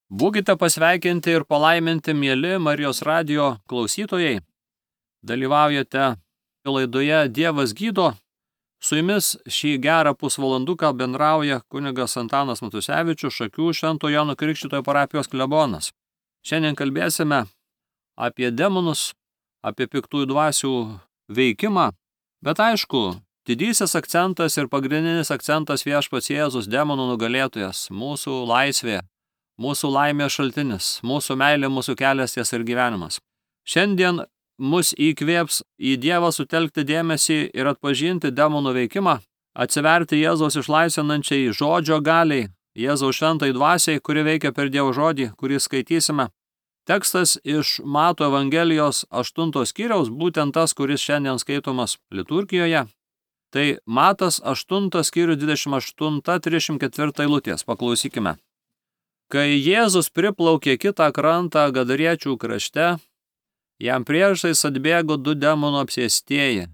Būkite pasveikinti ir palaiminti, mieli Marijos radijo klausytojai. Dalyvaujate laidoje Dievas gydo. Su jumis šį gerą pusvalanduką bendrauja kunigas Antanas Matusevičius, Šakių Švento Jono Krikštytojo parapijos klebonas. Šiandien kalbėsime apie demonus, apie piktųjų dvasių veikimą, bet aišku, didysis akcentas ir pagrindinis akcentas Viešpats Jėzus, demonų nugalėtojas, mūsų laisvė, mūsų laimės šaltinis, mūsų meilė, mūsų kelias, tiesa ir gyvenimas. Šiandien mus įkvėps į Dievą sutelkti dėmesį ir atpažinti demonų veikimą, atsiverti Jėzaus išlaisvinančiai žodžio galiai, Jėzaus šventai dvasiai, kuri veikia per Dievo žodį, kurį skaitysime. Tekstas iš Mato Evangelijos 8 skyriaus, būtent tas, kuris šiandien skaitomas liturgijoje. Tai Matas 8 skyrius 28-34 eilutės. Paklausykime. Kai Jėzus priplaukė kitą krantą Gadariečių krašte, jam priešais atbėgo 2 demonų apsėstieji,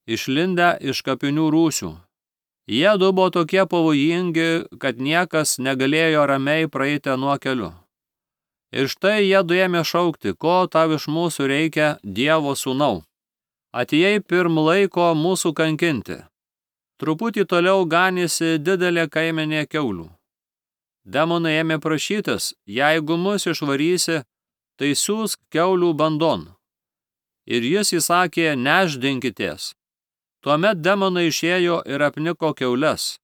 išlindę iš kapinių rūsių. Jie 2 buvo tokie pavojingi, kad niekas negalėjo ramiai praeiti nuo keliu. Ir štai jie 2 ėmė šaukti, ko tau iš mūsų reikia, Dievo sūnau. Atėjai pirm laiko mūsų kankinti. Truputį toliau ganėsi didelė kaimenė kiaulių. Demonai ėmė prašytis, jeigu mus išvarysi, tai siūsk kiaulių bandon. Ir jis įsakė, nešdinkitės. Tuomet demonai išėjo ir apniko kiaules.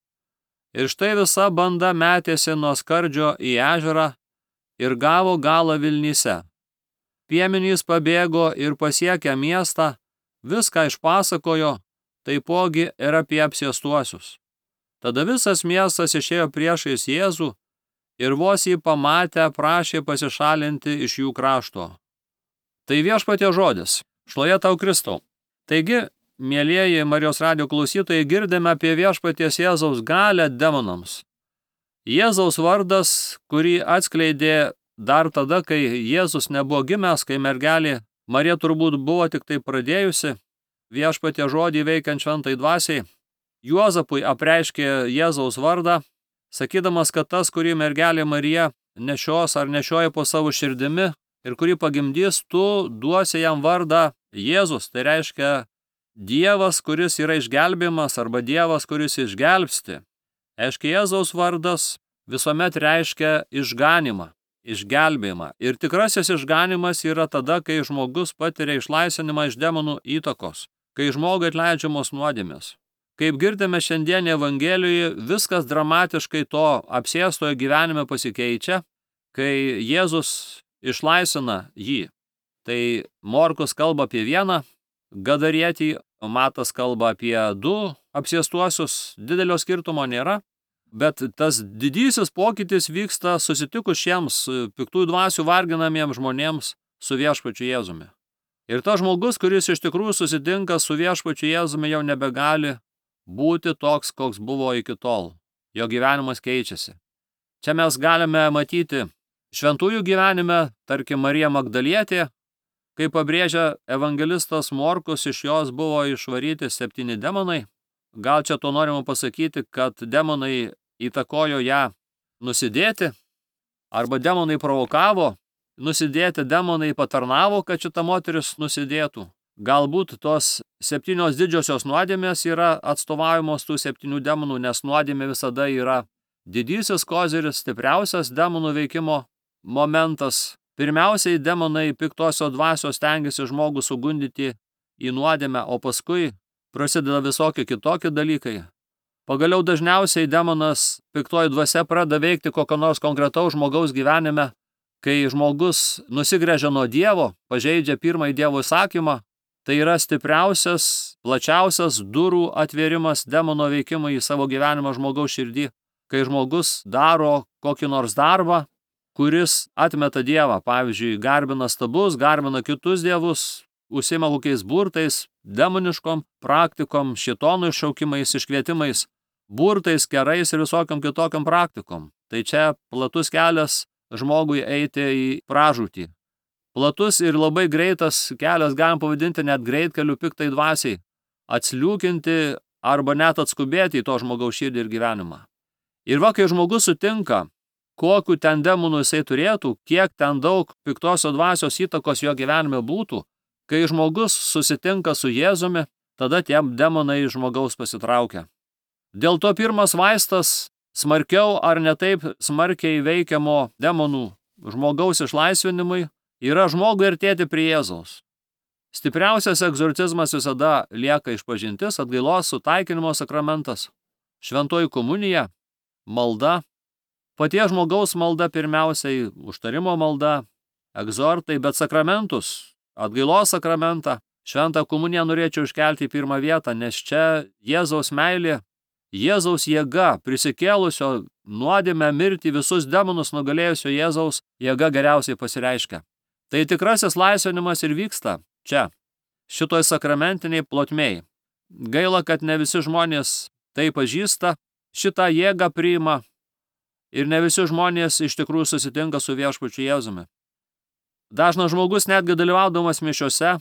Ir štai visa banda metėsi nuo skardžio į ežerą ir gavo galą Vilnyse. Piemenys pabėgo ir pasiekę miestą, viską išpasakojo, taipogi ir apie apsėstuosius. Tada visas miestas išėjo priešais Jėzų ir vos jį pamatę prašė pasišalinti iš jų krašto. Tai Viešpaties žodis. Šloje tau Kristau. Taigi, mielieji Marijos radijo klausytojai, girdime apie Viešpaties Jėzaus galią demonams. Jėzaus vardas, kurį atskleidė dar tada, kai Jėzus nebuvo gimęs, kai mergelė Marija turbūt buvo tik tai pradėjusi Viešpaties žodį veikiant šventai dvasiai, Juozapui apreiškė Jėzaus vardą, sakydamas, kad tas, kurį mergelė Marija nešios ar nešioja po savo širdimi ir kurį pagimdys, tu duosi jam vardą Jėzus. Tai reiškia Dievas, kuris yra išgelbėjimas, arba Dievas, kuris išgelbsti. Aiškiai, Jėzaus vardas visuomet reiškia išganimą, išgelbėjimą. Ir tikrasis išganimas yra tada, kai žmogus patiria išlaisvinimą iš demonų įtakos, kai žmogui atleidžiamos nuodėmės. Kaip girdime šiandien Evangelijoje, viskas dramatiškai to apsėstojo gyvenime pasikeičia, kai Jėzus išlaisvina jį. Tai Morkus kalba apie 1 gadarietį, Matas kalba apie 2 apsėstuosius, didelio skirtumo nėra, bet tas didysis pokytis vyksta susitikus šiems piktųjų dvasių varginamiems žmonėms su Viešpačiu Jėzumi. Ir tas žmogus, kuris iš tikrųjų susitinka su Viešpačiu Jėzumi, jau nebegali būti toks, koks buvo iki tol. Jo gyvenimas keičiasi. Čia mes galime matyti šventųjų gyvenime, tarkim, Marija Magdalietė, kaip pabrėžia evangelistas Morkus, iš jos buvo išvaryti 7 demonai. Gal čia to norima pasakyti, kad demonai įtakojo ją nusidėti, arba demonai provokavo nusidėti, demonai patarnavo, kad šita moteris nusidėtų. Galbūt tos 7 didžiosios nuodėmės yra atstovaujamos tų 7 demonų, nes nuodėmė visada yra didysis koziris, stipriausias demonų veikimo momentas. Pirmiausiai demonai piktosios dvasios stengiasi žmogų sugundyti į nuodėmę, o paskui prasideda visokie kitokie dalykai. Pagaliau dažniausiai demonas piktoji dvasia pradeda veikti kokio nors konkretaus žmogaus gyvenime, kai žmogus nusigręžia nuo Dievo, pažeidžia pirmąjį Dievo įsakymą. Tai yra stipriausias, plačiausias durų atvėrimas demono veikimui į savo gyvenimą žmogaus širdį, kai žmogus daro kokį nors darbą, kuris atmeta Dievą, pavyzdžiui, garbina stabus, garbina kitus dievus, užsiima kokiais burtais, demoniškom praktikom, šėtonų iššaukimais, iškvietimais, burtais, kerais ir visokiam kitokiam praktikom. Tai čia platus kelias žmogui eiti į pražūtį. Platus ir labai greitas kelias, galim pavadinti net greitkeliu piktai dvasiai, atsliūkinti arba net atskubėti į to žmogaus širdį ir gyvenimą. Ir va, kai žmogus sutinka kokiu ten demonų jisai turėtų, kiek ten daug piktosios dvasios įtakos jo gyvenime būtų, kai žmogus susitinka su Jėzumi, tada tie demonai žmogaus pasitraukia. Dėl to pirmas vaistas smarkiau ar ne taip smarkiai veikiamo demonų žmogaus išlaisvinimui yra žmogui artėti prie Jėzaus. Stipriausias egzorcizmas visada lieka išpažintis, atgailos sutaikinimo sakramentas, šventoji komunija, malda, paties žmogaus malda pirmiausiai, užtarimo malda, egzortai, bet sakramentus, atgailos sakramentą, šventą komuniją norėčiau iškelti į pirmą vietą, nes čia Jėzaus meilė, Jėzaus jėga, prisikėlusio nuodėmę mirtį visus demonus nugalėjusio Jėzaus jėga geriausiai pasireiškia. Tai tikrasis laisvinimas ir vyksta čia, šitoj sakramentiniai plotmėj. Gaila, kad ne visi žmonės tai pažįsta, šitą jėgą priima ir ne visi žmonės iš tikrųjų susitinka su viešpačiu Jėzumi. Dažnas žmogus netgi dalyvaudamas mišiose,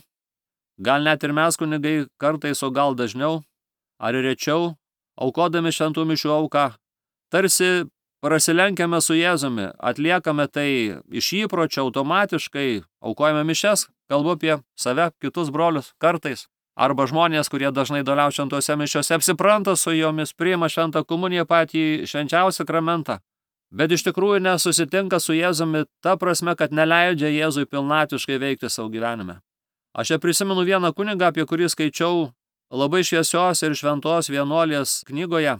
gal net ir mes kunigai kartais, o gal dažniau ar rečiau, aukodami šventų mišių auką, tarsi prasilenkiame su Jėzumi, atliekame tai iš įpročio automatiškai, aukojame mišias, kalbu apie save, kitus brolius kartais, arba žmonės, kurie dažnai dalyvauja šventose mišiose, apsipranta su jomis, priima šventą komuniją patį švenčiausią sakramentą, bet iš tikrųjų nesusitinka su Jėzumi ta prasme, kad neleidžia Jėzui pilnatviškai veikti savo gyvenime. Aš prisimenu vieną kunigą, apie kurį skaičiau labai šviesios ir šventos vienuolės knygoje.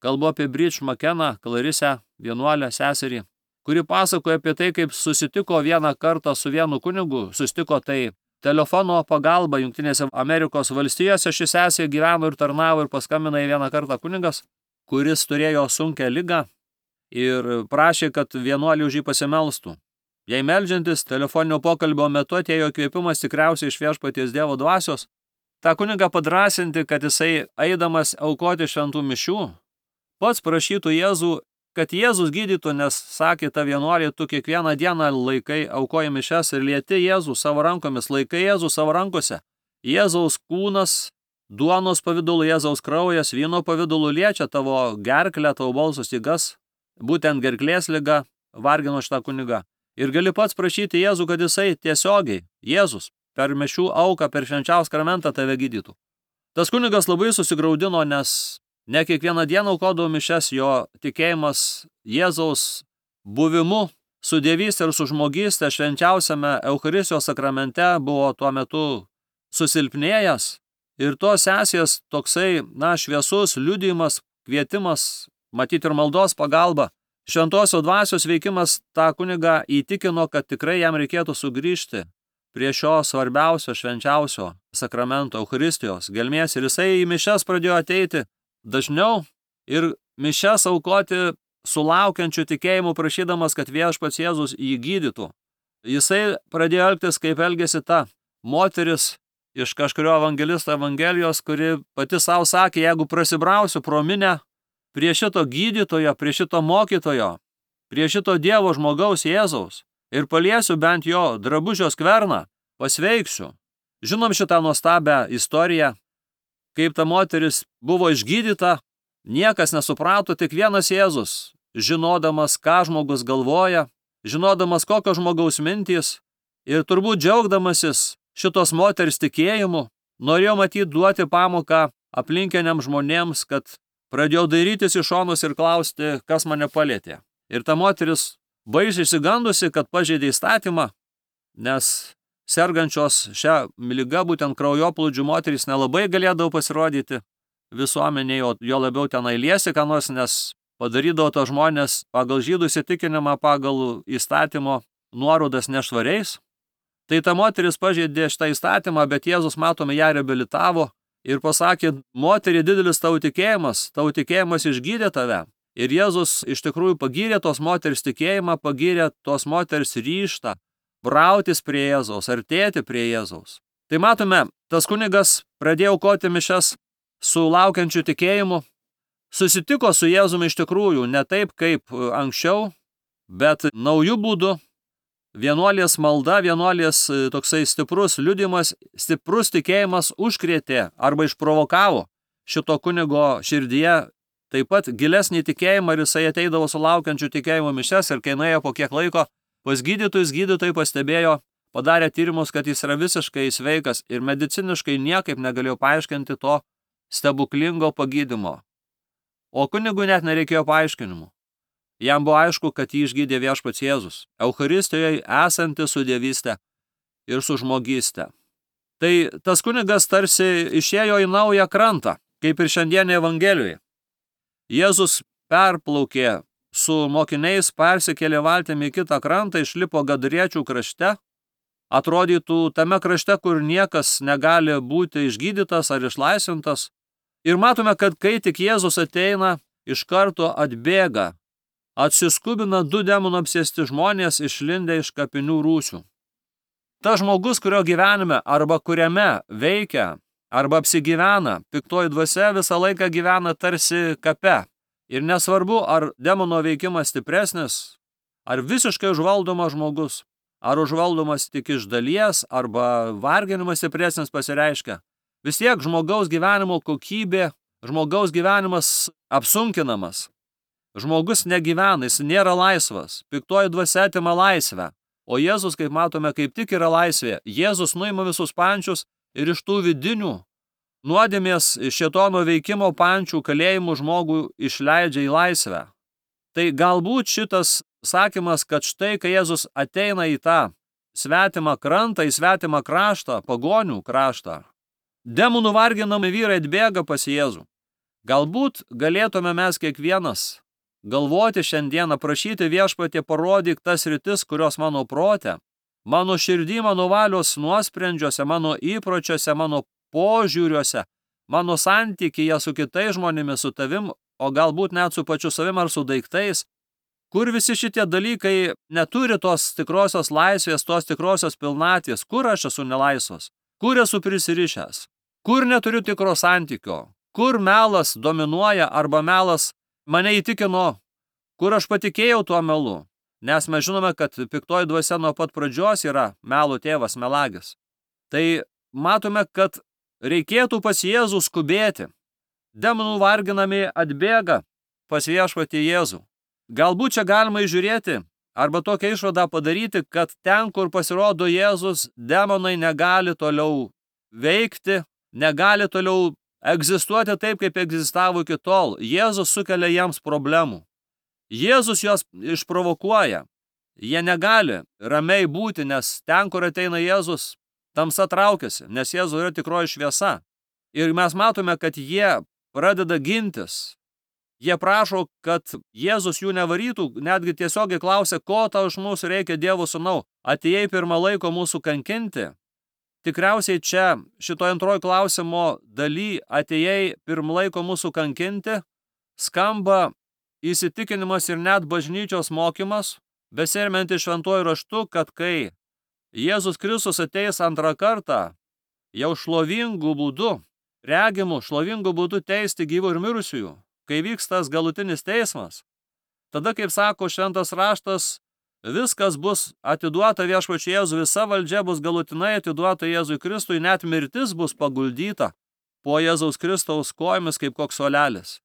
Kalbu apie Bridge McKenna, Klarisę, vienuolę seserį, kuri pasakoja apie tai, kaip susitiko vieną kartą su vienu kunigu, susitiko tai telefono pagalba Jungtinėse Amerikos valstijose, ši sesė gyveno ir tarnavo ir paskambino į vieną kartą kunigas, kuris turėjo sunkią ligą ir prašė, kad vienuolį už jį pasimelstų. Jei meldžiantis telefoninio pokalbio metu atėjo įkvėpimas tikriausiai iš viešpaties Dievo dvasios, tą kunigą padrasinti, kad jisai eidamas aukoti šventų mišių, pats prašytų Jėzų, kad Jėzus gydytų, nes sakė ta vienuolė, tu kiekvieną dieną laikai aukoji mišias ir lieti Jėzų savo rankomis, laikai Jėzų savo rankose. Jėzaus kūnas, duonos pavidalu, Jėzaus kraujas, vyno pavidalu liečia tavo gerklę, tavo balso stygas, būtent gerklės liga vargino šitą kunigą. Ir gali pats prašyti Jėzų, kad jisai tiesiogiai, Jėzus, per mišių auką, per švenčiausią sakramentą tave gydytų. Tas kunigas labai susigraudino, nes ne kiekvieną dieną aukodavo mišias, jo tikėjimas Jėzaus buvimu su dievystė ir su žmogystė švenčiausiame Eucharistijos sakramente buvo tuo metu susilpnėjęs. Ir tos sesės toksai, šviesus liudijimas, kvietimas, matyti ir maldos pagalba, šventosios dvasios veikimas tą kunigą įtikino, kad tikrai jam reikėtų sugrįžti prie šio svarbiausio, švenčiausio sakramento, Eucharistijos gelmės. Ir jisai į mišias pradėjo ateiti dažniau ir mišias aukoti sulaukiančių tikėjimų, prašydamas, kad viešpats Jėzus jį gydytų. Jisai pradėjo elgtis, kaip elgėsi ta moteris iš kažkurio evangelisto evangelijos, kuri pati savo sakė, jeigu prasibrausiu pro minią prie šito gydytojo, prie šito mokytojo, prie šito Dievo žmogaus Jėzaus ir paliesiu bent jo drabužio skverną, pasveiksiu. Žinom šitą nuostabią istoriją, kaip ta moteris buvo išgydyta, niekas nesuprato, tik vienas Jėzus, žinodamas, ką žmogus galvoja, žinodamas, kokios žmogaus mintys ir turbūt džiaugdamasis šitos moters tikėjimu, norėjo matyti duoti pamoką aplinkiniam žmonėms, kad pradėjau dairytis į šonus ir klausti, kas mane palietė. Ir ta moteris baisiai išsigandusi, kad pažeidė įstatymą, nes sergančios šią ligą, būtent kraujoplūdžių moterys nelabai galėdavo pasirodyti visuomenėje, o jo labiau tenai liesi, ką nors, nes padarydavo to žmonės pagal žydų įsitikinimą, pagal įstatymo nuorodas nešvariais. Tai ta moteris pažeidė šitą įstatymą, bet Jėzus, matome, ją reabilitavo ir pasakė, moterį, didelis tavo tikėjimas išgydė tave. Ir Jėzus iš tikrųjų pagyrė tos moters tikėjimą, pagyrė tos moters ryžtą brautis prie Jėzaus, artėti prie Jėzaus. Tai matome, tas kunigas pradėjo aukoti mišias su laukiančiu tikėjimu, susitiko su Jėzumi iš tikrųjų ne taip kaip anksčiau, bet naujų būdų. Vienuolės malda, vienuolės toksai stiprus liudijimas, stiprus tikėjimas užkrėtė arba išprovokavo šito kunigo širdyje taip pat gilesnį tikėjimą ir jisai ateidavo sulaukiančių tikėjimo mišias ir kai nuėjo po kiek laiko pas gydytojai pastebėjo, padarė tyrimus, kad jis yra visiškai sveikas ir mediciniškai niekaip negalėjo paaiškinti to stebuklingo pagydymo. O kunigui net nereikėjo paaiškinimų. Jam buvo aišku, kad jį išgydė viešpats Jėzus, Eucharistijoje esanti su dievystė ir su žmogyste. Tai tas kunigas tarsi išėjo į naują krantą, kaip ir šiandienė Evangelijoje. Jėzus perplaukė su mokiniais, persikėlė valtimi į kitą krantą, išlipo Gadriečių krašte, atrodytų tame krašte, kur niekas negali būti išgydytas ar išlaisvintas. Ir matome, kad kai tik Jėzus ateina, iš karto atbėga, atsiskubina 2 demonų apsėsti žmonės išlindę iš kapinių rūsių. Tas žmogus, kurio gyvenime arba kuriame veikia arba apsigyvena, piktoji dvasia visą laiką gyvena tarsi kape. Ir nesvarbu, ar demono veikimas stipresnis, ar visiškai užvaldomas žmogus, ar užvaldomas tik iš dalies, arba varginimas stipresnis pasireiškia. Vis tiek žmogaus gyvenimo kokybė, žmogaus gyvenimas apsunkinamas. Žmogus negyvena, jis nėra laisvas. Piktoji dvasia atima laisvę. O Jėzus, kaip matome, kaip tik yra laisvė. Jėzus nuima visus pančius ir iš tų vidinių nuodėmės šėtono veikimo pančių kalėjimų žmogų išleidžia į laisvę. Tai galbūt šitas sakymas, kad štai, kai Jėzus ateina į tą svetimą krantą, į svetimą kraštą, pagonių kraštą, demonų varginami vyrai atbėga pas Jėzų. Galbūt galėtume mes kiekvienas galvoti šiandieną, prašyti viešpatie, parodyk tas sritis, kurios mano prote, mano širdį, mano valios nuosprendžiuose, mano įpročiuose, mano požiūriuose, mano santykyje su kitais žmonėmis, su tavim, o galbūt net su pačiu savim ar su daiktais, kur visi šitie dalykai neturi tos tikrosios laisvės, tos tikrosios pilnaties, kur aš esu nelaisvas, kur esu prisirišęs, kur neturiu tikro santykio, kur melas dominuoja arba melas mane įtikino, kur aš patikėjau tuo melu, nes mes žinome, kad piktoji dvasia nuo pat pradžios yra melo tėvas, melagis. Tai matome, kad reikėtų pas Jėzų skubėti. Demonų varginami atbėga pas viešpatį Jėzų. Galbūt čia galima įžiūrėti arba tokią išvadą padaryti, kad ten, kur pasirodo Jėzus, demonai negali toliau veikti, negali toliau egzistuoti taip, kaip egzistavo iki tol. Jėzus sukelia jiems problemų. Jėzus juos išprovokuoja. Jie negali ramiai būti, nes ten, kur ateina Jėzus, tamsa traukiasi, nes Jėzus yra tikroji šviesa. Ir mes matome, kad jie pradeda gintis. Jie prašo, kad Jėzus jų nevarytų, netgi tiesiogiai klausia, ko tau iš mūsų reikia, Dievo sūnau, atėjai pirmą laiko mūsų kankinti. Tikriausiai čia, šitoje antrojo klausimo daly, atėjai pirmą laiko mūsų kankinti, skamba įsitikinimas ir net bažnyčios mokymas, besiremianti šventuoju raštu, kad kai Jėzus Kristus ateis antrą kartą, jau šlovingų būdų, regimų šlovingų būdų teisti gyvų ir mirusiųjų, kai vyks tas galutinis teismas, tada, kaip sako šventas raštas, viskas bus atiduota viešpačiui Jėzui, visa valdžia bus galutinai atiduota Jėzui Kristui, net mirtis bus paguldyta po Jėzaus Kristaus kojomis kaip koks suolelis.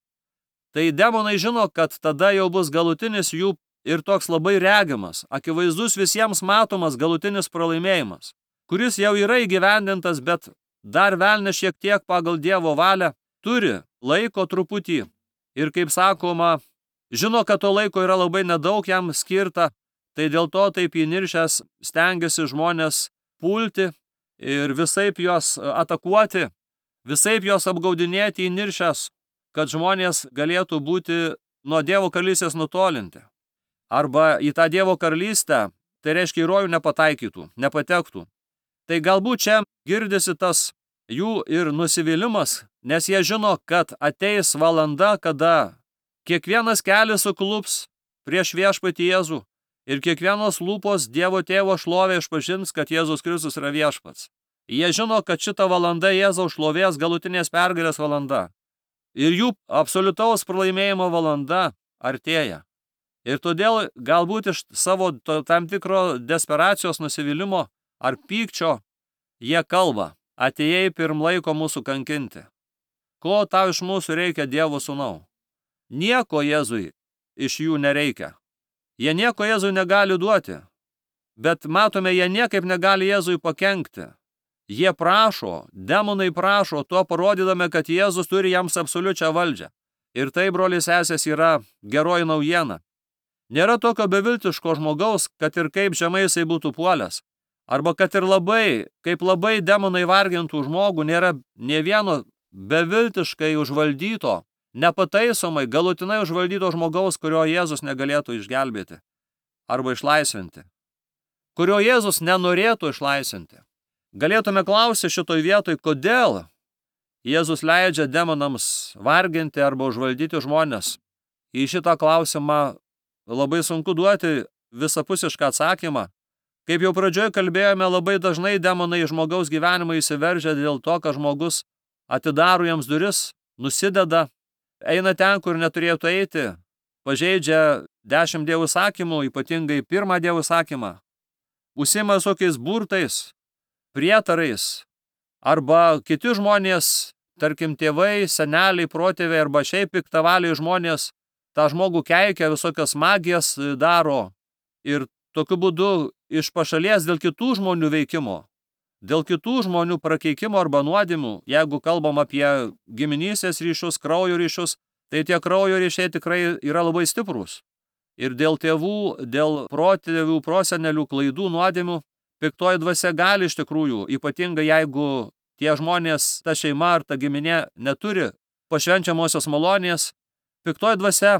Tai demonai žino, kad tada jau bus galutinis jų ir toks labai regimas, akivaizdus visiems matomas galutinis pralaimėjimas, kuris jau yra įgyvendintas, bet dar velnias šiek tiek pagal Dievo valią turi laiko truputį. Ir kaip sakoma, žino, kad to laiko yra labai nedaug jam skirta, tai dėl to taip įniršęs stengiasi žmonės pulti ir visaip juos atakuoti, visaip juos apgaudinėti įniršęs, kad žmonės galėtų būti nuo Dievo karalystės nutolinti. Arba į tą Dievo karalystę, tai reiškia į rojų nepataikytų, nepatektų. Tai galbūt čia girdisi tas jų ir nusivylimas, nes jie žino, kad ateis valanda, kada kiekvienas kelias suklups prieš viešpatį Jėzų ir kiekvienos lūpos Dievo tėvo šlovę išpažins, kad Jėzus Kristus yra viešpats. Jie žino, kad šita valanda Jėzaus šlovės galutinės pergalės valanda. Ir jų absoliutaus pralaimėjimo valanda artėja. Ir todėl galbūt iš savo tam tikro desperacijos, nusivylimo ar pykčio jie kalba, atėjai pirm laiko mūsų kankinti. Ko tau iš mūsų reikia, Dievo sūnau? Nieko Jėzui iš jų nereikia. Jie nieko Jėzui negali duoti. Bet matome, jie niekaip negali Jėzui pakenkti. Jie prašo, demonai prašo, tuo parodydami, kad Jėzus turi jiems absoliučią valdžią. Ir tai, broliai sesės, yra geroji naujiena. Nėra tokio beviltiško žmogaus, kad ir kaip žemai jisai būtų puolęs. Arba kad ir kaip labai demonai vargintų žmogų, nėra nė vieno beviltiškai užvaldyto, nepataisomai, galutinai užvaldyto žmogaus, kurio Jėzus negalėtų išgelbėti arba išlaisvinti. Kurio Jėzus nenorėtų išlaisvinti. Galėtume klausyti šitoj vietoj, kodėl Jėzus leidžia demonams varginti arba užvaldyti žmonės. Į šitą klausimą labai sunku duoti visapusišką atsakymą. Kaip jau pradžioje kalbėjome, labai dažnai demonai žmogaus gyvenimą įsiveržia dėl to, kad žmogus atidaro jiems duris, nusideda, eina ten, kur neturėtų eiti, pažeidžia 10 Dievo įsakymų, ypatingai 1 Dievo įsakymą, užsiima visokiais burtais, prietarais, arba kiti žmonės, tarkim tėvai, seneliai, protėviai arba šiaip piktavaliai žmonės, tą žmogų keikia, visokias magijas daro ir tokiu būdu iš pašalies dėl kitų žmonių veikimo, dėl kitų žmonių prakeikimo arba nuodėmių, jeigu kalbam apie giminystės ryšius, kraujo ryšius, tai tie kraujo ryšiai tikrai yra labai stiprūs. Ir dėl tėvų, dėl protėvių, prosenelių klaidų, nuodėmių, piktoji dvasia gali iš tikrųjų, ypatingai jeigu tie žmonės, ta šeima ar ta giminė neturi pašvenčiamosios malonės, piktoji dvasia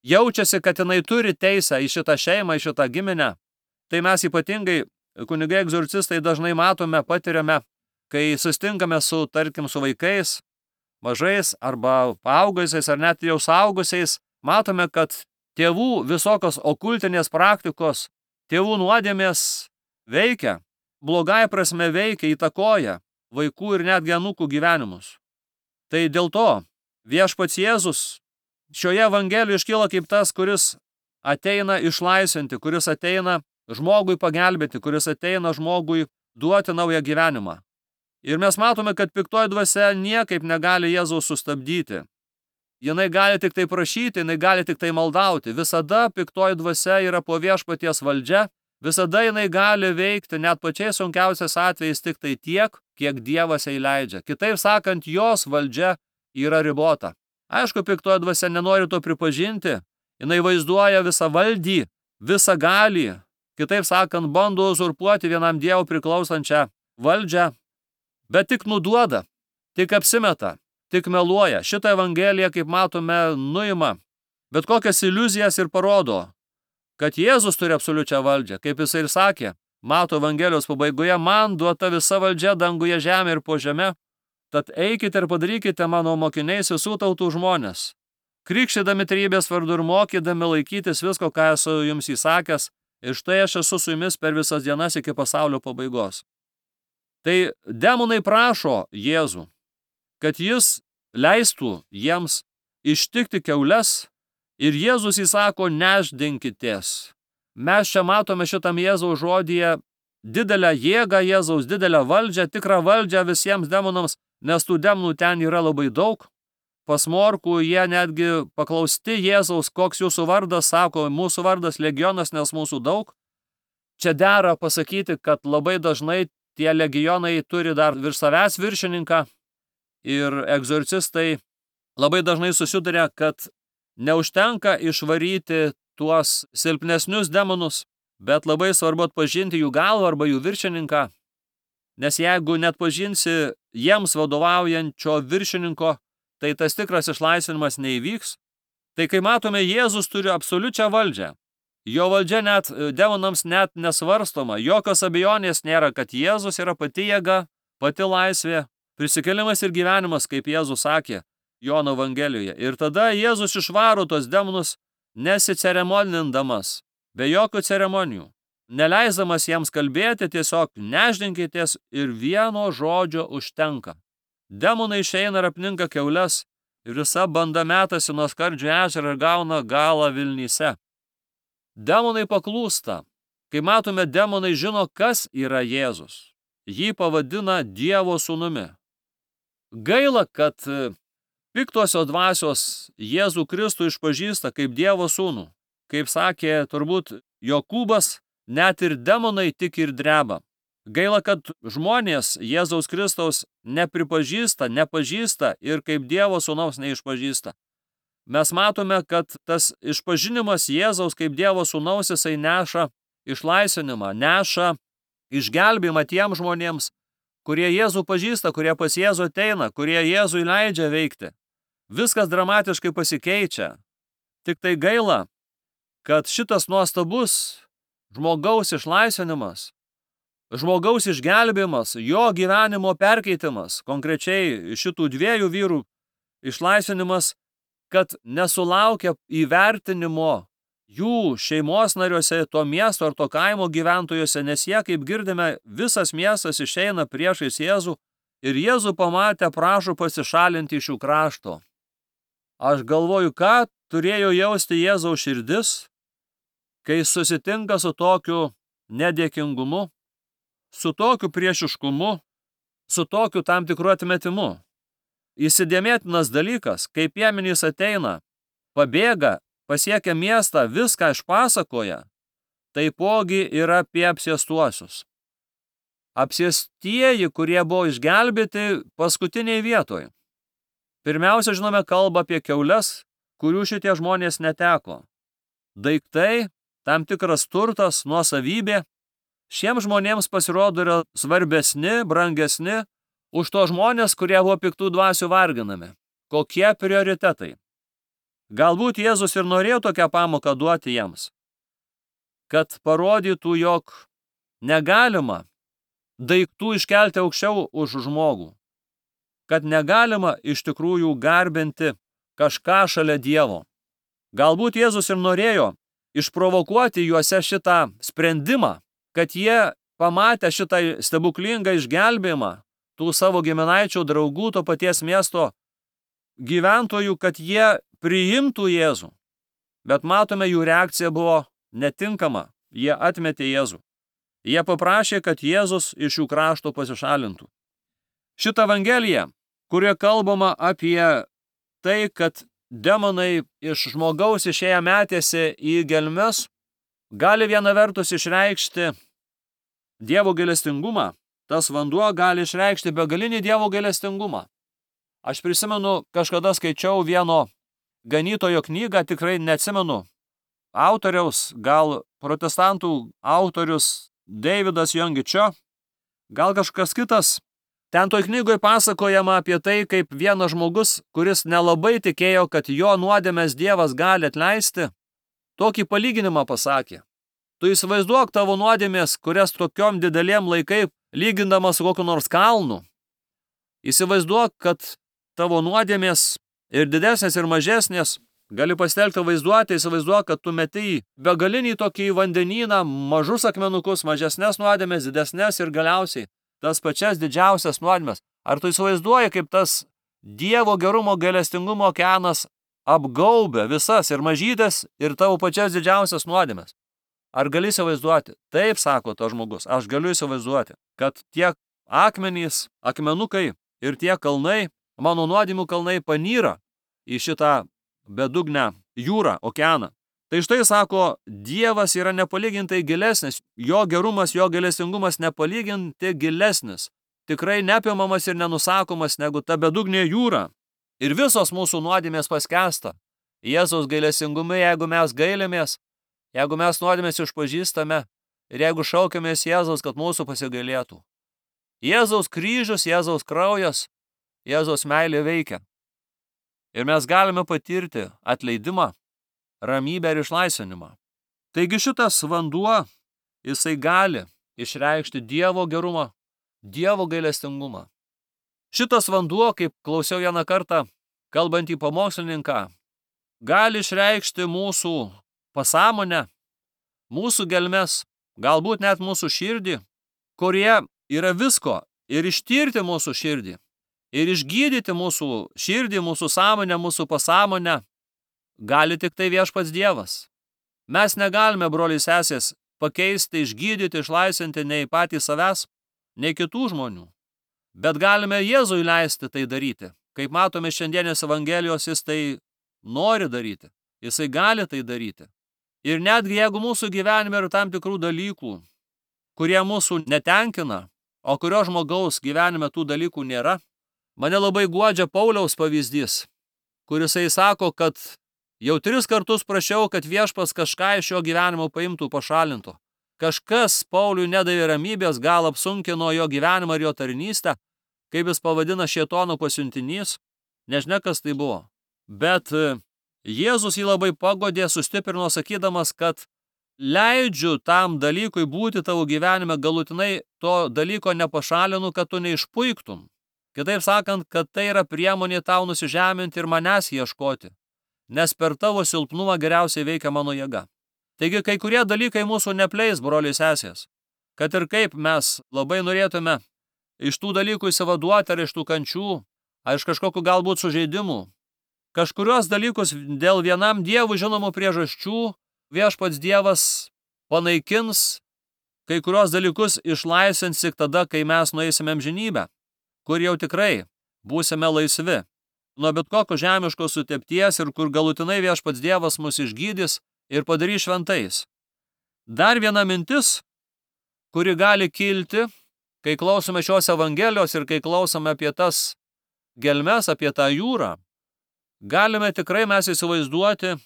jaučiasi, kad jinai turi teisę į šitą šeimą, į šitą giminę. Tai mes ypatingai, kunigai egzorcistai, dažnai matome, patiriame, kai sustinkame su, tarkim, su vaikais, mažais arba paaugusiais ar net jau suaugusiais, matome, kad tėvų visokios okultinės praktikos, tėvų nuodėmės veikia, blogai prasme veikia, įtakoja vaikų ir netgi anūkų gyvenimus. Tai dėl to viešpats Jėzus šioje Evangelijoje iškyla kaip tas, kuris ateina išlaisvinti, kuris ateina žmogui pagelbėti, kuris ateina žmogui duoti naują gyvenimą. Ir mes matome, kad piktoji dvasia niekaip negali Jėzaus sustabdyti. Jinai gali tik tai prašyti, jinai gali tik tai maldauti. Visada piktoji dvasia yra po viešpaties valdžia, visada jinai gali veikti net pačiais sunkiausiais atvejais tik tai tiek, kiek Dievas jai leidžia. Kitaip sakant, jos valdžia yra ribota. Aišku, piktoji dvasia nenori to pripažinti, jinai vaizduoja visą valdį, visą galį. Kitaip sakant, bando uzurpuoti vienam Dievui priklausančią valdžią, bet tik nuduoda, tik apsimeta, tik meluoja. Šitą Evangeliją, kaip matome, nuima bet kokias iliuzijas ir parodo, kad Jėzus turi absoliučią valdžią, kaip jisai ir sakė, Mato Evangelijos pabaigoje, man duota visa valdžia danguje, žemė ir po žeme, tad eikite ir padarykite mano mokiniais visų tautų žmonės, krikštydami trejybės vardu ir mokydami laikytis visko, ką esu jums įsakęs, ir štai aš esu su jumis per visas dienas iki pasaulio pabaigos. Tai demonai prašo Jėzų, kad jis leistų jiems ištikti kiaules, ir Jėzus įsako, nešdinkitės. Mes čia matome šitam Jėzaus žodyje didelę jėgą Jėzaus, didelę valdžią, tikrą valdžią visiems demonams, nes tų demonų ten yra labai daug. Pas Morkų jie netgi paklausti Jėzaus, koks jūsų vardas, sako, mūsų vardas legionas, nes mūsų daug. Čia dera pasakyti, kad labai dažnai tie legionai turi dar virš savęs viršininką ir egzorcistai labai dažnai susiduria, kad neužtenka išvaryti tuos silpnesnius demonus, bet labai svarbu atpažinti jų galvą arba jų viršininką, nes jeigu net pažinsi jiems vadovaujančio viršininko, tai tas tikras išlaisvinimas neįvyks. Tai kai matome, Jėzus turi absoliučią valdžią. Jo valdžia net demonams net nesvarstoma. Jokios abejonės nėra, kad Jėzus yra pati jėga, pati laisvė, prisikėlimas ir gyvenimas, kaip Jėzus sakė Jono Evangelijoje. Ir tada Jėzus išvaro tos demonus nesiceremonindamas, be jokių ceremonijų, neleisdamas jiems kalbėti, tiesiog nešdinkitės ir vieno žodžio užtenka. Demonai išeina ir apninka kiaules ir visa banda metasi nuo Skardžio ežero ir gauna galą Vilnyse. Demonai paklūsta. Kai matome, demonai žino, kas yra Jėzus. Jį pavadina Dievo sūnumi. Gaila, kad Piktosios dvasios Jėzų Kristų išpažįsta kaip Dievo sūnų. Kaip sakė turbūt Jokūbas, net ir demonai tik ir dreba. Gaila, kad žmonės Jėzaus Kristaus nepripažįsta, nepažįsta ir kaip Dievo sūnaus neišpažįsta. Mes matome, kad tas išpažinimas Jėzaus kaip Dievo sūnaus jisai neša išlaisvinimą, neša išgelbėjimą tiem žmonėms, kurie Jėzų pažįsta, kurie pas Jėzų ateina, kurie Jėzui leidžia veikti. Viskas dramatiškai pasikeičia. Tik tai gaila, kad šitas nuostabus žmogaus išlaisvinimas, žmogaus išgelbėjimas, jo gyvenimo perkeitimas, konkrečiai šitų dviejų vyrų išlaisvinimas, kad nesulaukia įvertinimo jų šeimos nariuose, to miesto ar to kaimo gyventojuose, nes jie, kaip girdime, visas miestas išeina priešais Jėzų ir Jėzų pamatę prašo pasišalinti iš jų krašto. Aš galvoju, ką turėjo jausti Jėzaus širdis, kai susitinka su tokiu nedėkingumu, su tokiu priešiškumu, su tokiu tam tikru atmetimu. Įsidėmėtinas dalykas, kai piemenys ateina, pabėga, pasiekia miestą, viską išpasakoja, taipogi yra apie apsėstuosius. Apsėstieji, kurie buvo išgelbėti paskutiniai vietoj. Pirmiausia, žinome, kalba apie kiaules, kurių šitie žmonės neteko. Daiktai, tam tikras turtas, nuosavybė, šiems žmonėms pasirodo yra svarbesni, brangesni už to žmonės, kurie buvo piktų dvasių varginami. Kokie prioritetai? Galbūt Jėzus ir norėjo tokią pamoką duoti jiems, kad parodytų, jog negalima daiktų iškelti aukščiau už žmogų, kad negalima iš tikrųjų garbinti kažką šalia Dievo. Galbūt Jėzus ir norėjo išprovokuoti juose šitą sprendimą, kad jie pamatę šitą stebuklingą išgelbėjimą tų savo giminaičių, draugų, to paties miesto gyventojų, kad jie priimtų Jėzų. Bet matome, jų reakcija buvo netinkama. Jie atmetė Jėzų. Jie paprašė, kad Jėzus iš jų krašto pasišalintų. Šitą evangeliją, kurioje kalbama apie tai, kad demonai iš žmogaus išėję metėsi į gelmes, gali viena vertus išreikšti Dievo gailestingumą. Tas vanduo gali išreikšti begalinį Dievo gailestingumą. Aš prisimenu, kažkada skaičiau vieno ganytojo knygą, tikrai neatsimenu autoriaus, gal protestantų autorius Davidas Jongičio, gal kažkas kitas. Ten toj knygoje pasakojama apie tai, kaip vienas žmogus, kuris nelabai tikėjo, kad jo nuodėmes Dievas gali atleisti, tokį palyginimą pasakė. Tu įsivaizduok tavo nuodėmės, kurias tokiom didelėm laikai lygindamas su kokiu nors kalnu. Įsivaizduok, kad tavo nuodėmės ir didesnės ir mažesnės, gali pasitelkti vaizduoti, įsivaizduok, kad tu meti begalinį tokį vandenyną, mažus akmenukus, mažesnės nuodėmės, didesnės ir galiausiai tas pačias didžiausias nuodėmės. Ar tu įsivaizduoji, kaip tas Dievo gerumo gailestingumo okeanas apgaubia visas ir mažytės ir tavo pačias didžiausias nuodėmės? Ar gali įsivaizduoti? Taip, sako to žmogus, aš galiu įsivaizduoti, kad tie akmenys, akmenukai ir tie kalnai, mano nuodėmių kalnai panyra į šitą bedugnę jūrą, okeaną. Tai štai, sako, Dievas yra nepalygintai gilesnis, jo gerumas, jo gailestingumas nepalyginti gilesnis, tikrai neapimamas ir nenusakomas negu ta bedugnė jūra. Ir visos mūsų nuodėmės paskęsta Jėzaus gailestingume, jeigu mes gailimės, jeigu mes nuodėmės išpažįstame ir jeigu šaukiamės Jėzaus, kad mūsų pasigailėtų. Jėzaus kryžius, Jėzaus kraujas, Jėzaus meilė veikia. Ir mes galime patirti atleidimą, ramybę ir išlaisvinimą. Taigi šitas vanduo, jisai gali išreikšti Dievo gerumą, Dievo gailestingumą. Šitas vanduo, kaip klausiau vieną kartą, kalbant į pamokslininką, gali išreikšti mūsų pasąmonę, mūsų gelmes, galbūt net mūsų širdį, kurie yra visko, ir ištirti mūsų širdį, ir išgydyti mūsų širdį, mūsų sąmonę, mūsų pasąmonę, gali tik tai viešpats Dievas. Mes negalime, broliai sesės, pakeisti, išgydyti, išlaisvinti nei patys savęs, nei kitų žmonių. Bet galime Jėzui leisti tai daryti, Kaip matome šiandienės Evangelijos, jis tai nori daryti. Jisai gali tai daryti. Ir netgi jeigu mūsų gyvenime yra tam tikrų dalykų, kurie mūsų netenkina, o kurio žmogaus gyvenime tų dalykų nėra, mane labai guodžia Pauliaus pavyzdys, kurisai sako, kad jau 3 kartus prašiau, kad viešpats kažką iš jo gyvenimo paimtų, pašalintų. Kažkas Pauliui nedavė ramybės, gal apsunkino jo gyvenimą ir jo tarnystę, kaip jis pavadina šėtono pasiuntinys, nežinia, kas tai buvo. Bet Jėzus jį labai pagodė, sustiprino, sakydamas, kad leidžiu tam dalykui būti tavo gyvenime, galutinai to dalyko nepašalinu, kad tu neišpuiktum. Kitaip sakant, kad tai yra priemonė tau nusižeminti ir manęs ieškoti, nes per tavo silpnumą geriausiai veikia mano jėga. Taigi, kai kurie dalykai mūsų nepleis, broliai sesės, kad ir kaip mes labai norėtume iš tų dalykų įsivaduoti ar iš tų kančių, ar iš kažkokių galbūt sužeidimų. Kažkurios dalykus dėl vienam Dievui žinomų priežasčių viešpats Dievas panaikins, kai kurios dalykus išlaisvins tik tada, kai mes nueisime amžinybę, kur jau tikrai būsime laisvi nuo bet kokio žemiškos sutepties ir kur galutinai viešpats Dievas mus išgydys ir padarys šventais. Dar viena mintis, kuri gali kilti, kai klausome šios Evangelijos ir kai klausome apie tas gelmes, apie tą jūrą, galime tikrai mes įsivaizduoti,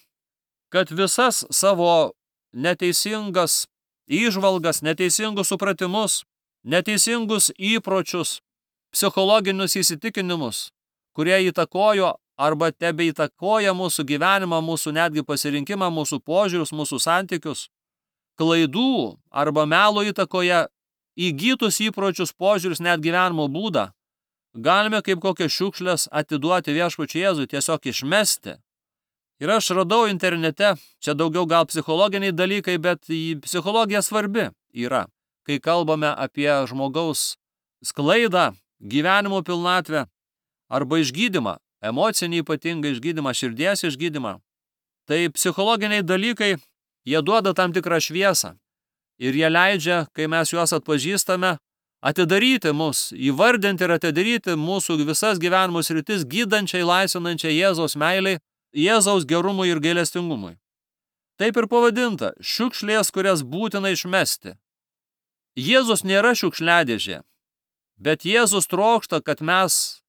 kad visas savo neteisingas įžvalgas, neteisingus supratimus, neteisingus įpročius, psichologinius įsitikinimus, kurie įtakojo arba tebeįtakoja mūsų gyvenimą, mūsų netgi pasirinkimą, mūsų požiūrius, mūsų santykius, klaidų arba melo įtakoje įgytus įpročius, požiūrius, net gyvenimo būdą, galime kaip kokias šiukšles atiduoti viešpačiui Jėzui, tiesiog išmesti. Ir aš radau internete, čia daugiau gal psichologiniai dalykai, bet psichologija svarbi yra, kai kalbame apie žmogaus sklaidą, gyvenimo pilnatvę arba išgydymą, emocinį ypatingą išgydymą, širdies išgydymą. Tai psichologiniai dalykai, jie duoda tam tikrą šviesą ir jie leidžia, kai mes juos atpažįstame, atidaryti mus, įvardinti ir atidaryti mūsų visas gyvenimo sritis gydančiai, laisvinančiai Jėzaus meiliai, Jėzaus gerumui ir gailestingumui. Taip ir pavadinta – šiukšlės, kurias būtina išmesti. Jėzus nėra šiukšliadėžė, bet Jėzus trokšta, kad mes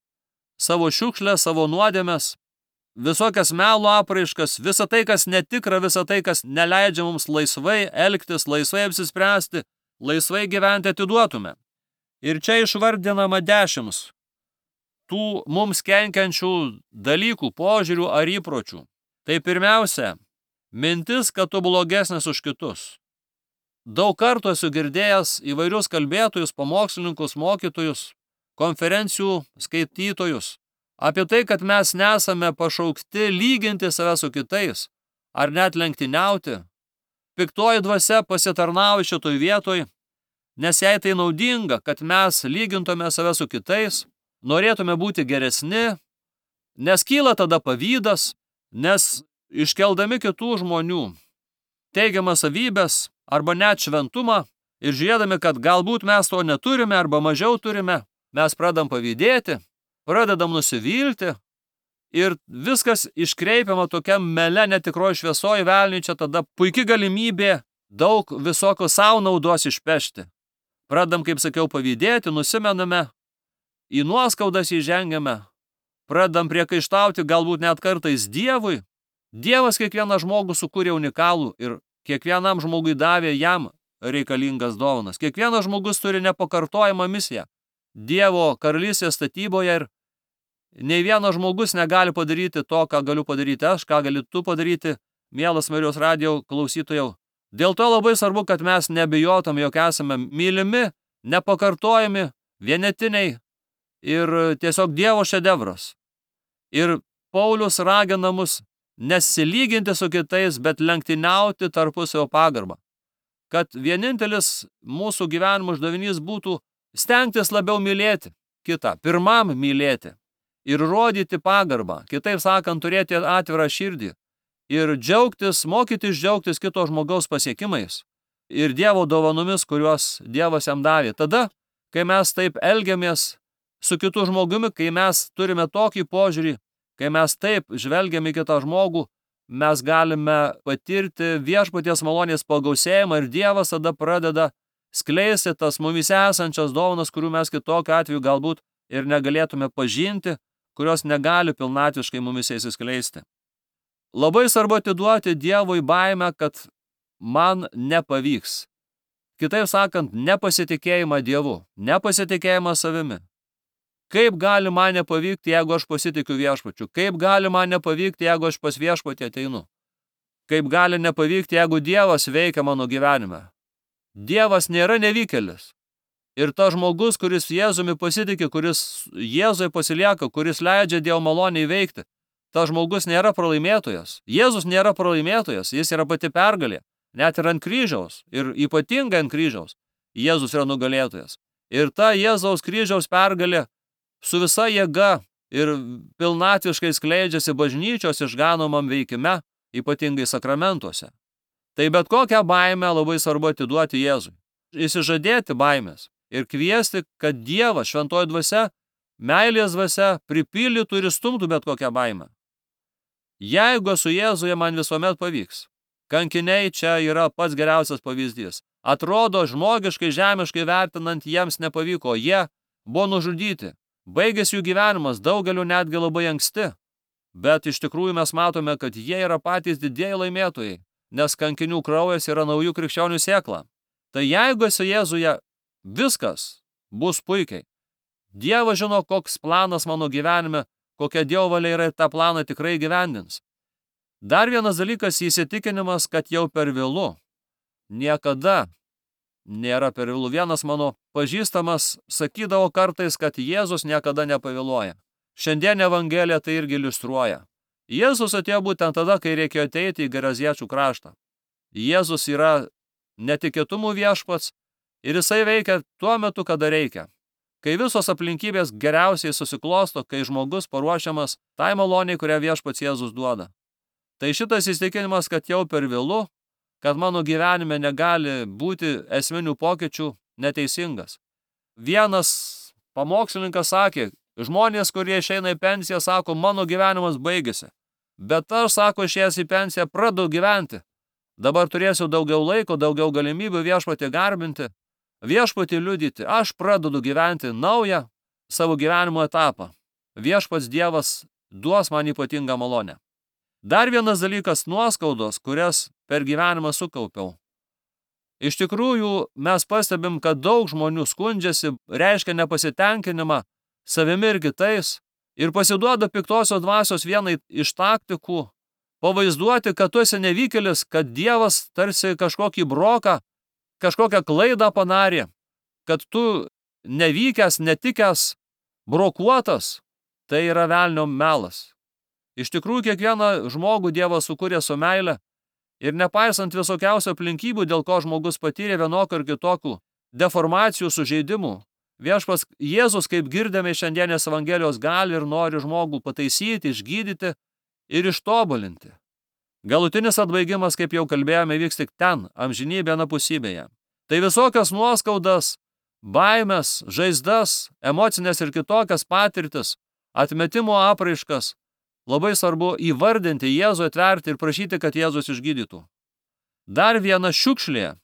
savo šiukšlę, savo nuodėmes, visokias melo apraiškas, visą tai, kas netikra, visą tai, kas neleidžia mums laisvai elgtis, laisvai apsispręsti, laisvai gyventi, atiduotume. Ir čia išvardinama 10 tų mums kenkiančių dalykų, požiūrių ar įpročių. Tai pirmiausia, mintis, kad tu blogesnis už kitus. Daug kartų esu girdėjęs įvairius kalbėtojus, pamokslininkus, mokytojus, konferencijų skaitytojus apie tai, kad mes nesame pašaukti lyginti save su kitais ar net lenktyniauti. Piktoji dvasia pasitarnauja šitoj vietoj, nes jai tai naudinga, kad mes lygintume save su kitais, norėtume būti geresni, nes kyla tada pavydas, nes iškeldami kitų žmonių teigiamas savybės arba net šventumą ir žiūrėdami, kad galbūt mes to neturime arba mažiau turime, mes pradedam pavydėti, pradedam nusivilti ir viskas iškreipiama tokia mele netikroji šviesoji velniui, čia tada puiki galimybė daug visokio savo naudos išpešti. Pradedam, kaip sakiau, pavydėti, nusimename, į nuoskaudas įžengiame, pradedam priekaištauti galbūt net kartais Dievui. Dievas kiekvieną žmogų sukūrė unikalų ir kiekvienam žmogui davė jam reikalingas dovanas. Kiekvienas žmogus turi nepakartojamą misiją Dievo karalystės statyboje ir nei vienas žmogus negali padaryti to, ką galiu padaryti aš, ką gali tu padaryti, mielas Marijos radijo klausytojau. Dėl to labai svarbu, kad mes nebijotum, jog esame mylimi, nepakartojami, vienetiniai ir tiesiog Dievo šedevras. Ir Paulius ragina mus nesilyginti su kitais, bet lenktyniauti tarpusavio pagarbą. Kad vienintelis mūsų gyvenimo uždavinys būtų stengtis labiau mylėti kitą, pirmam mylėti ir rodyti pagarbą, kitaip sakant, turėti atvirą širdį ir džiaugtis, mokytis džiaugtis kito žmogaus pasiekimais ir Dievo dovanomis, kuriuos Dievas jam davė. Tada, kai mes taip elgiamės su kitu žmogumi, kai mes turime tokį požiūrį, kai mes taip žvelgiame į kitą žmogų, mes galime patirti viešpaties malonės pagausėjimą ir Dievas tada pradeda skleisti tas mumise esančias dovanas, kurių mes kitokiu atveju galbūt ir negalėtume pažinti, kurios negali pilnatviškai mumise įsiskleisti. Labai svarbu atiduoti Dievui baimę, kad man nepavyks. Kitaip sakant, nepasitikėjimą Dievu, nepasitikėjimą savimi. Kaip gali man nepavykti, jeigu aš pasitikiu viešpačiu? Kaip gali man nepavykti, jeigu aš pas viešpatį ateinu? Kaip gali nepavykti, jeigu Dievas veikia mano gyvenime? Dievas nėra nevykėlis. Ir tas žmogus, kuris Jėzumi pasitiki, kuris Jėzui pasilieka, kuris leidžia Dievo malonę įveikti, tas žmogus nėra pralaimėtojas. Jėzus nėra pralaimėtojas, jis yra pati pergalė. Net ir ant kryžiaus, ir ypatingai ant kryžiaus, Jėzus yra nugalėtojas. Ir ta Jėzaus kryžiaus pergalė su visa jėga ir pilnatviškai skleidžiasi bažnyčios išganomam veikime, ypatingai sakramentuose. Tai bet kokią baimę labai svarbu atiduoti Jėzui. Įsižadėti baimės ir kviesti, kad Dievas, šventoji dvasia, meilės dvasia pripildytų ir įstumtų bet kokią baimę. Jeigu esu Jėzuje, man visuomet pavyks. Kankiniai čia yra pats geriausias pavyzdys. Atrodo, žmogiškai, žemiškai vertinant, jiems nepavyko. Jie buvo nužudyti. Baigėsi jų gyvenimas, daugeliu netgi labai anksti. Bet iš tikrųjų mes matome, kad jie yra patys didieji laimėtojai, nes kankinių kraujas yra naujų krikščionių sėkla. Tai jeigu esi Jėzuje, viskas bus puikiai. Dievas žino, koks planas mano gyvenime, kokia Dievo valia yra ir tą planą tikrai gyvendins. Dar vienas dalykas – įsitikinimas, kad jau per vėlu. Niekada nėra per vėlu. Vienas mano pažįstamas sakydavo kartais, kad Jėzus niekada nepavėluoja. Šiandien Evangelija tai irgi iliustruoja. Jėzus atėjo būtent tada, kai reikėjo ateiti į Geraziečių kraštą. Jėzus yra netikėtumų viešpats ir jisai veikia tuo metu, kada reikia. Kai visos aplinkybės geriausiai susiklosto, kai žmogus paruošiamas tai maloniai, kurią viešpats Jėzus duoda. Tai šitas įsitikinimas, kad jau per vėlu, kad mano gyvenime negali būti esminių pokyčių, neteisingas. Vienas pamokslininkas sakė, žmonės, kurie išeina į pensiją, sako, mano gyvenimas baigėsi. Bet aš, sako, išėjęs į pensiją, pradedu gyventi. Dabar turėsiu daugiau laiko, daugiau galimybių viešpatį garbinti, viešpatį liudyti. Aš pradedu gyventi naują savo gyvenimo etapą. Viešpats Dievas duos man ypatingą malonę. Dar vienas dalykas – nuoskaudos, kurias per gyvenimą sukaupiau. Iš tikrųjų, mes pastebim, kad daug žmonių skundžiasi, reiškia nepasitenkinimą savimi ir kitais ir pasiduoda piktosios dvasios vienai iš taktikų pavaizduoti, kad tu esi nevykėlis, kad Dievas tarsi kažkokį broką, kažkokią klaidą padarė, kad tu nevykęs, netikęs, brokuotas, tai yra velnio melas. Iš tikrųjų, kiekvieną žmogų Dievas sukūrė su meile ir nepaisant visokiausių aplinkybių, dėl ko žmogus patyrė vienokių ir kitokių deformacijų, sužeidimų, viešpats Jėzus, kaip girdėme iš šiandienės Evangelijos, gali ir nori žmogų pataisyti, išgydyti ir ištobulinti. Galutinis atbaigimas, kaip jau kalbėjome, vyks tik ten, amžinybėje anapusybėje. Tai visokias nuoskaudas, baimės, žaizdas, emocinės ir kitokias patirtis, atmetimo apraiškas, labai svarbu įvardinti Jėzų, atverti ir prašyti, kad Jėzus išgydytų. Dar viena šiukšlė,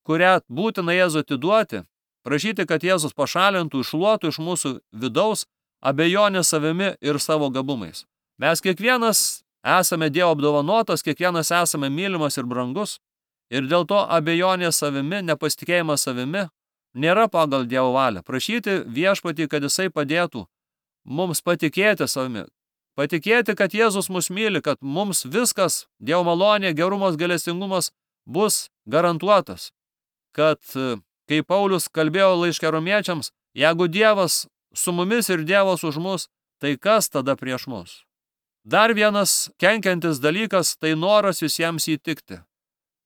kurią būtina Jėzų atiduoti, prašyti, kad Jėzus pašalintų, iššluotų iš mūsų vidaus abejonę savimi ir savo gabumais. Mes kiekvienas esame Dievo apdovanotas, kiekvienas esame mylimas ir brangus, ir dėl to abejonė savimi, nepasitikėjimas savimi nėra pagal Dievo valią. Prašyti viešpatį, kad jisai padėtų mums patikėti savimi, patikėti, kad Jėzus mus myli, kad mums viskas, Dievo malonė, gerumas, gailestingumas bus garantuotas. Kad, kai Paulius kalbėjo laiške romiečiams, jeigu Dievas su mumis ir Dievas už mus, tai kas tada prieš mus? Dar vienas kenkiantis dalykas – tai noras visiems įtikti,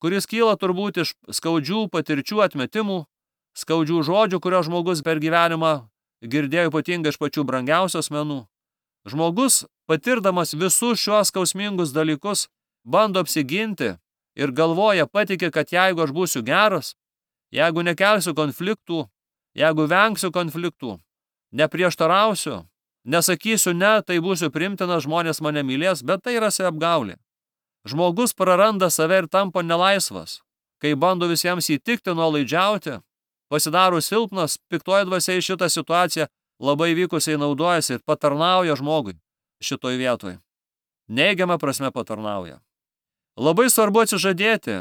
kuris kyla turbūt iš skaudžių patirčių atmetimų, skaudžių žodžių, kurio žmogus per gyvenimą girdėjo ypatingai iš pačių brangiausių asmenų. Žmogus, patirdamas visus šios skausmingus dalykus, bando apsiginti ir galvoja, patikė, kad jeigu aš būsiu geras, jeigu nekelsiu konfliktų, jeigu vengsiu konfliktų, neprieštarausiu, nesakysiu ne, tai būsiu priimtinas, žmonės mane mylės, bet tai yra saviapgaulė. Žmogus praranda save ir tampa nelaisvas, kai bando visiems įtikti, nuolaidžiauti, pasidaro silpnas, piktoji dvasia į šitą situaciją labai vykusiai naudojasi ir patarnauja žmogui šitoj vietoj. Neigiama prasme patarnauja. Labai svarbu atsižadėti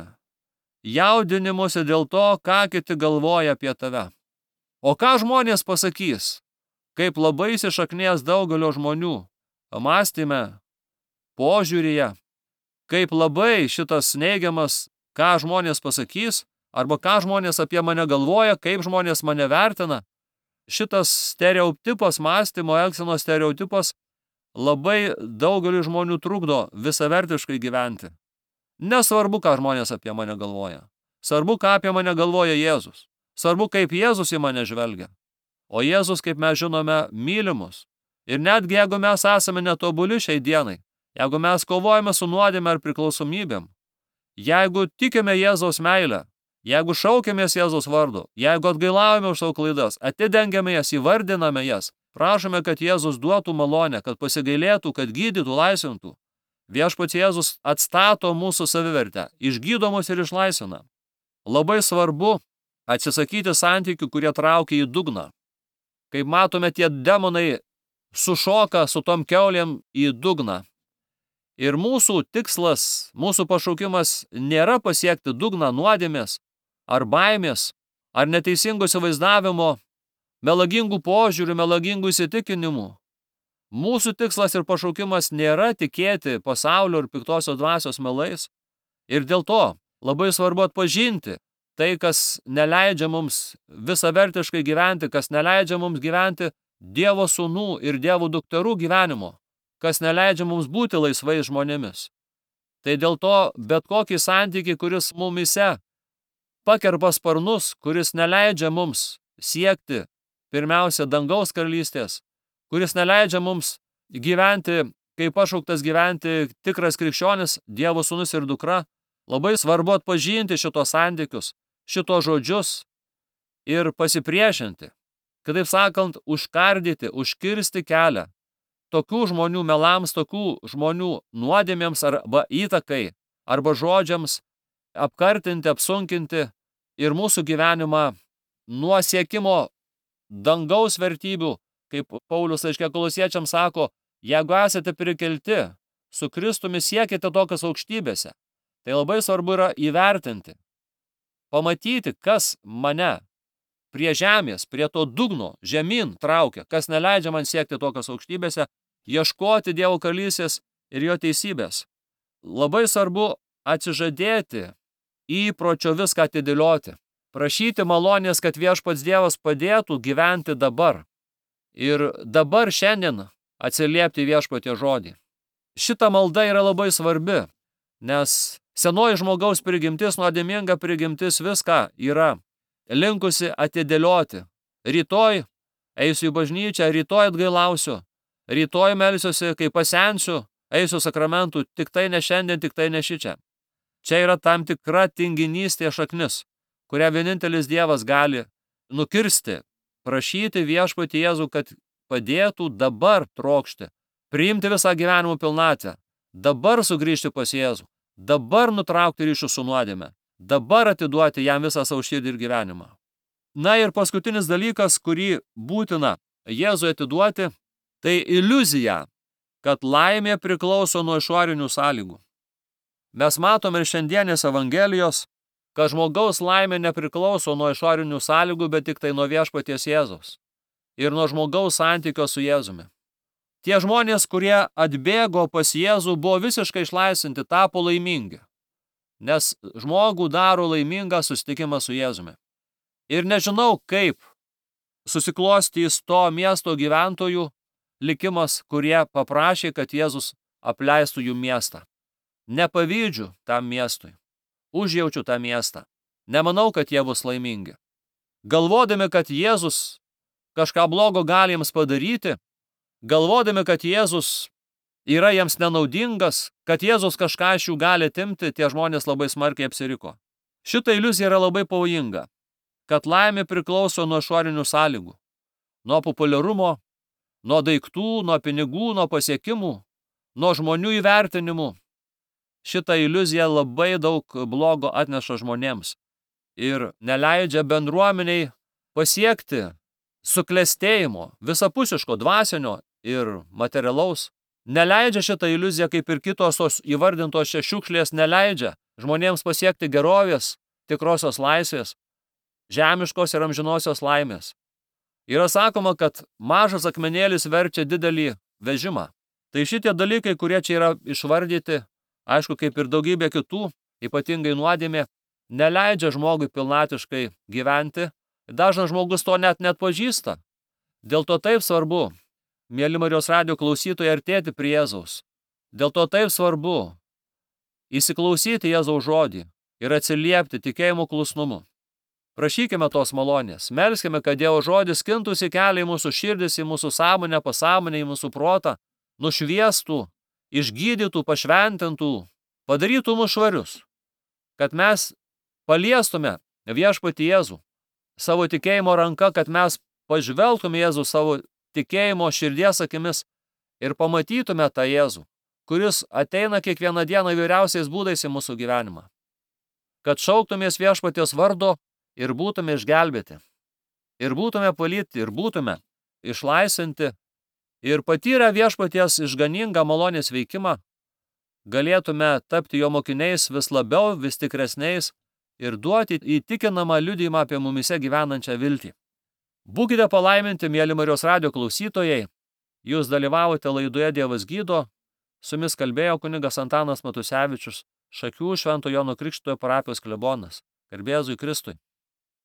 jaudinimuose dėl to, ką kiti galvoja apie tave. O ką žmonės pasakys, kaip labai įsišaknėjęs daugelio žmonių mąstyme, požiūryje, kaip labai šitas neigiamas, ką žmonės pasakys, arba ką žmonės apie mane galvoja, kaip žmonės mane vertina. Šitas stereotipas, mąstymo, elgsenos stereotipas labai daugeliu žmonių trukdo visavertiškai gyventi. Nesvarbu, ką žmonės apie mane galvoja. Svarbu, ką apie mane galvoja Jėzus. Svarbu, kaip Jėzus į mane žvelgia. O Jėzus, kaip mes žinome, mylimus. Ir netgi jeigu mes esame netobuli šiai dienai, jeigu mes kovojame su nuodėme ar priklausomybėm, jeigu tikime Jėzaus meilę, jeigu šaukiamės Jėzaus vardu, jeigu atgailaujame už savo klaidas, atidengiame jas, įvardiname jas, prašome, kad Jėzus duotų malonę, kad pasigailėtų, kad gydytų, laisvintų. Viešpats Jėzus atstato mūsų savivertę, išgydo mus ir išlaisvina. Labai svarbu atsisakyti santykių, kurie traukia į dugną. Kaip matome, tie demonai sušoka su tom kiaulėm į dugną. Ir mūsų tikslas, mūsų pašaukimas nėra pasiekti dugną nuodėmės, ar baimės, ar neteisingų įsivaizdavimo, melagingų požiūrių, melagingų įsitikinimų. Mūsų tikslas ir pašaukimas nėra tikėti pasaulio ir piktosios dvasios melais. Ir dėl to labai svarbu atpažinti tai, kas neleidžia mums visavertiškai gyventi, kas neleidžia mums gyventi Dievo sūnų ir Dievo dukterų gyvenimo, kas neleidžia mums būti laisvais žmonėmis. Tai dėl to bet kokį santykį, kuris mumise pakerpa sparnus, kuris neleidžia mums siekti pirmiausia dangaus karalystės, kuris neleidžia mums gyventi, kaip pašauktas gyventi tikras krikščionis, Dievo sūnus ir dukra, labai svarbu atpažinti šitos santykius, šitos žodžius ir pasipriešinti. Kitaip sakant, užkardyti, užkirsti kelią tokių žmonių melams, tokių žmonių nuodėmėms arba įtakai, arba žodžiams, apkartinti, apsunkinti ir mūsų gyvenimą nuo siekimo dangaus vertybių, kaip Paulius laiške Kolosiečiams sako, jeigu esate prikelti, su Kristumi siekite tokias aukštybėse. Tai labai svarbu yra įvertinti, pamatyti, kas mane prie žemės, prie to dugno, žemyn traukia, kas neleidžia man siekti tokias aukštybėse, ieškoti Dievo karalystės ir jo teisybės. Labai svarbu atsižadėti įpročio viską atidėlioti, prašyti malonės, kad viešpats Dievas padėtų gyventi dabar. Ir dabar šiandien atsiliepti viešpatie žodį. Šita malda yra labai svarbi, nes senoji žmogaus prigimtis, nuodėminga prigimtis viską yra linkusi atidėlioti. Rytoj eisiu į bažnyčią, rytoj atgailausiu, rytoj melsiuosi, kai pasensiu, eisiu sakramentų, tik tai ne šiandien, tik tai ne šičia. Čia yra tam tikra tinginystė šaknis, kurią vienintelis Dievas gali nukirsti, prašyti viešpatį Jėzų, kad padėtų dabar trokšti, priimti visą gyvenimo pilnatvę, dabar sugrįžti pas Jėzų, dabar nutraukti ryšių su nuodėme, dabar atiduoti jam visą savo širdį ir gyvenimą. Na ir paskutinis dalykas, kurį būtina Jėzui atiduoti, tai iliuzija, kad laimė priklauso nuo išorinių sąlygų. Mes matome ir šiandienės Evangelijos, kad žmogaus laimė nepriklauso nuo išorinių sąlygų, bet tik tai nuo viešpaties Jėzaus ir nuo žmogaus santykio su Jėzumi. Tie žmonės, kurie atbėgo pas Jėzų, buvo visiškai išlaisvinti, tapo laimingi, nes žmogų daro laimingą susitikimą su Jėzumi. Ir nežinau, kaip susiklostys to miesto gyventojų likimas, kurie paprašė, kad Jėzus apleistų jų miestą. Nepavydžiu tam miestui, užjaučiu tą miestą. Nemanau, kad jie bus laimingi. Galvodami, kad Jėzus kažką blogo gali jiems padaryti, galvodami, kad Jėzus yra jiems nenaudingas, kad Jėzus kažką iš jų gali atimti, tie žmonės labai smarkiai apsiriko. Šita iliuzija yra labai pavojinga, kad laimė priklauso nuo išorinių sąlygų. nuo populiarumo, nuo daiktų, nuo pinigų, nuo pasiekimų, nuo žmonių įvertinimų. Šita iliuzija labai daug blogo atneša žmonėms ir neleidžia bendruomeniai pasiekti suklestėjimo, visapusiško, dvasinio ir materialaus. Neleidžia šitą iliuziją, kaip ir kitos tos įvardintos čia šiukšlės, neleidžia žmonėms pasiekti gerovės, tikrosios laisvės, žemiškos ir amžinosios laimės. Yra sakoma, kad mažas akmenėlis verčia didelį vežimą. Tai šitie dalykai, kurie čia yra išvardyti, aišku, kaip ir daugybė kitų, ypatingai nuodėmė, neleidžia žmogui pilnatiškai gyventi. Dažnas žmogus to net pažįsta. Dėl to taip svarbu, mėly Marijos radijo klausytojai, artėti prie Jėzaus. Dėl to taip svarbu įsiklausyti Jėzaus žodį ir atsiliepti tikėjimo klusnumu. Prašykime tos malonės, melskime, kad Dievo žodis skintųsi kelią į mūsų širdis, į mūsų sąmonę, pasąmonę, į mūsų protą, nušviestų, išgydytų, pašventintų, padarytų mus švarius, kad mes paliestume viešpatį Jėzų savo tikėjimo ranka, kad mes pažvelgtume Jėzų savo tikėjimo širdies akimis ir pamatytume tą Jėzų, kuris ateina kiekvieną dieną įvairiausiais būdais į mūsų gyvenimą. Kad šauktumės viešpaties vardo ir būtume išgelbėti, ir būtume palydėti, ir būtume išlaisvinti, ir patyrę viešpaties išganingą malonės veikimą, galėtume tapti jo mokiniais vis labiau, vis tikresniais ir duoti įtikinamą liudijimą apie mumise gyvenančią viltį. Būkite palaiminti, mėly Marijos radijo klausytojai, jūs dalyvavote laidoje Dievas gydo, su jumis kalbėjo kunigas Antanas Matusevičius, Šakių Švento Jono Krikštytojo parapijos klebonas. Garbė Jėzui Kristui.